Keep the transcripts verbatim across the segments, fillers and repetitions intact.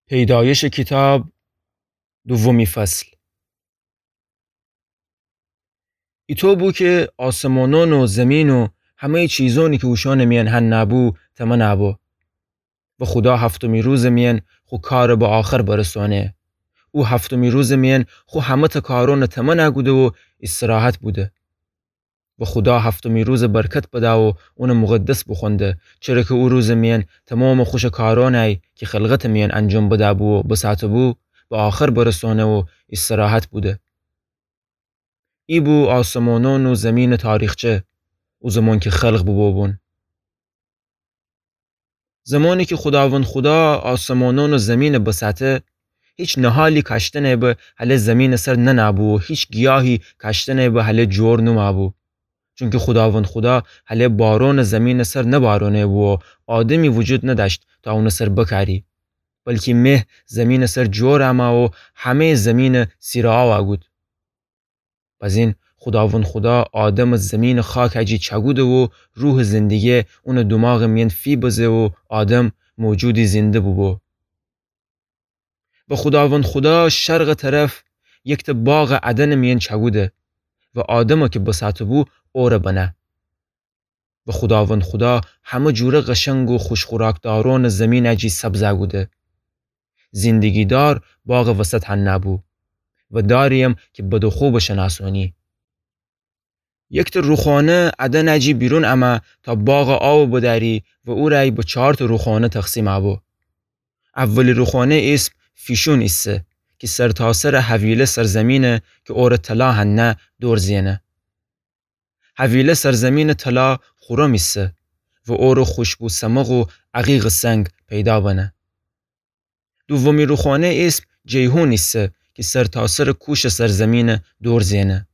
پیدایش کیتاب، دومی فصل. ایطو بو کی آسمانأن و زیمین و همه‌یٚ چیزأنی کی اوشأنٚ میأن هنأ بو، تمنأ بو. و خودا هفتمی روزٚ میأن خو کارَ به آخر برسأنه. او هفتمی روزٚ میأن خو همه‌تأ کارأنَ تمنأ کوده و ایستراحت بوده. و خودا هفتمی روزَ برکت بدأ و اونَ مقدس بوخوأنده، چره کی او روزٚ میأن تومامٚ خوشٚ کارأنی کی خلقتٚ میأن انجام بدأ بو و بسأته بو، به آخر برسأنه و ایستراحت بوده. ای بو آسمانأن و زیمینٚ تاریخچه، او زمان کی خلق بوبو بون. زمانی کی خوداوند خودا آسمانأن و زیمینَ بسأته، هیچ نهالی کاشتنی به هلٚ زیمینٚ سر ننأ بو و هیچ گیاهی کاشتنی به هلٚ جور نومأ بو. چونکی خوداوند خودا هلٚ بارونَ زیمینٚ سر نبارأنه بو و آدمی وجود ندأشت تا اونٚ سر بکأری. بلکی مه زیمینٚ سر جور أمأ و همه‌یٚ زیمینَ سیرٚ آوا گود. بزین خوداوند خودا آدمَ زیمینٚ خاکٚ جی چأکوده و روحٚ زندگی اونٚ دوماغٚ میأن فی بزه و آدم موجودی زنده بوبو. و خوداوند خودا شرقٚ طرف یکتأ باغٚ عدنٚ میأن چأکوده و آدمَ کی بسأته بو اورَ بنه. و خوداوند خودا همه جوره قشنگ و خوش خوراکدارونٚ زیمینٚ جی سبزَ کوده. زندگی‌دار باغٚ وسط هنأ بو و داری‌یم کی بد و خو بشنأسونی. یکتأ روخانه عدنٚ جی بیرون أمأ تا باغٚ آوَ بدأری و او رأی به چارتأ روخانه تقسیمَ بو. اولی روخانه ایسم فیشون ایسه کی سرتاسرٚ حویله سرزیمینه کی اورَ طلا هنأ دور زئنه. حویله سرزیمینٚ طلا خورم ایسه و اورٚ خوشبو سمق و عقیقٚ سنگ پیدا بنه. دومی روخانه ایسم جیحون ایسه کی سرتاسرٚ کوشٚ سرزیمینه دور زئنه.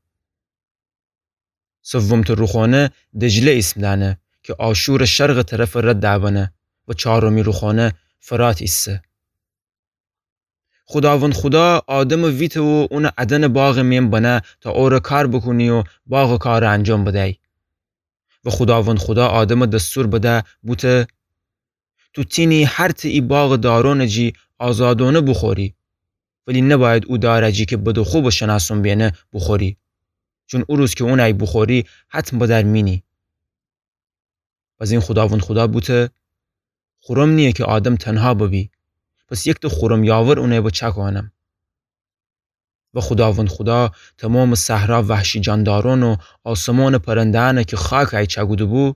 سومتأ روخانه دجله ایسم دأنه کی آشورٚ شرقٚ طرفٚ رد دأ بنه و چارمی روخانه فرات ایسه. خوداوند خودا آدمَ ویته و اونَ عدنٚ باغٚ میأن بنه تا اورَ کار بوکونی و باغٚ کارَ انجام بدی. و خوداوند خودا آدمَ دستور بده بوته: تو تینی هر تأ ای باغٚ دارونٚ جی آزادونه بوخوری، ولی نبأید او دارٚ جی کی بد و خو بشنأسون بینه بوخوری، چون او روز کی اونَ بوخوری حتم بدر مینی. بزین خوداوند خودا بوته: خورم نییه کی آدم تنها ببی، پس یکتأ خورم یاور اونَ به چأکانم. و خوداوند خودا تومامٚ صحرا وحشی جاندارون و آسمانٚ پرنده‌أنَ کی خاکَ چأکوده بو،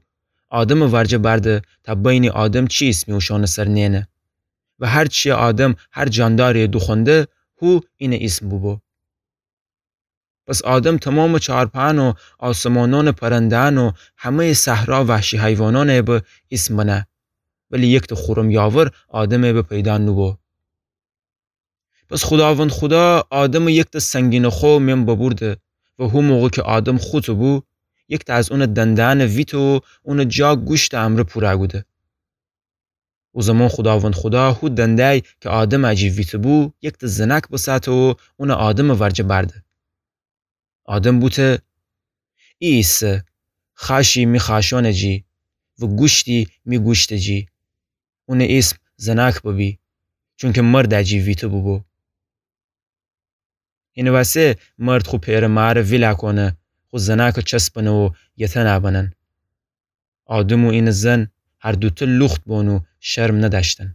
آدمٚ ورجه بأرده تا بینی آدم چی ایسمی اوشأنٚ سر نئنه. و هر چیَ آدم هر جانداریَ دوخوأنده، هو اینٚ ایسم بوبو. پس آدم تومامٚ چارپأن و آسمانأنٚ پرنده‌أن و همه‌یٚ صحرا وحشی حیوانأنَ به ایسم بنه، ولی یکتأ خورم یاور آدمَ به پیدا نوبو. پس خوداوند خودا آدمَ یکتأ سنگینٚ خو میأن ببورده و هو موقع کی آدم خوطه بو، یکتأ از اونٚ دنده‌أنَ ویته و اونٚ جا گوشتٚ امرأ پورَ کوده. او زمان خوداوند خودا هو دنده‌یی کی آدمَ جی ویته بو، یکتأ زنأک بسأته و اونَ آدمٚ ورجه بأرده. آدم بوته: ای ایسه خأشی می خأشأنٚ جی و گوشتی می گوشتٚ جی. اونٚ ایسم زنأک ببی، چونکی مردَ جی ویته بوبو. هینٚ وسه مرد خو پئرٚ مارَ ویلَ کونه، خو زنأکَ چسبنه و یه تنَ بنن. آدم و اینٚ زن هر دوتأ لوخت بون و شرم ندأشتن.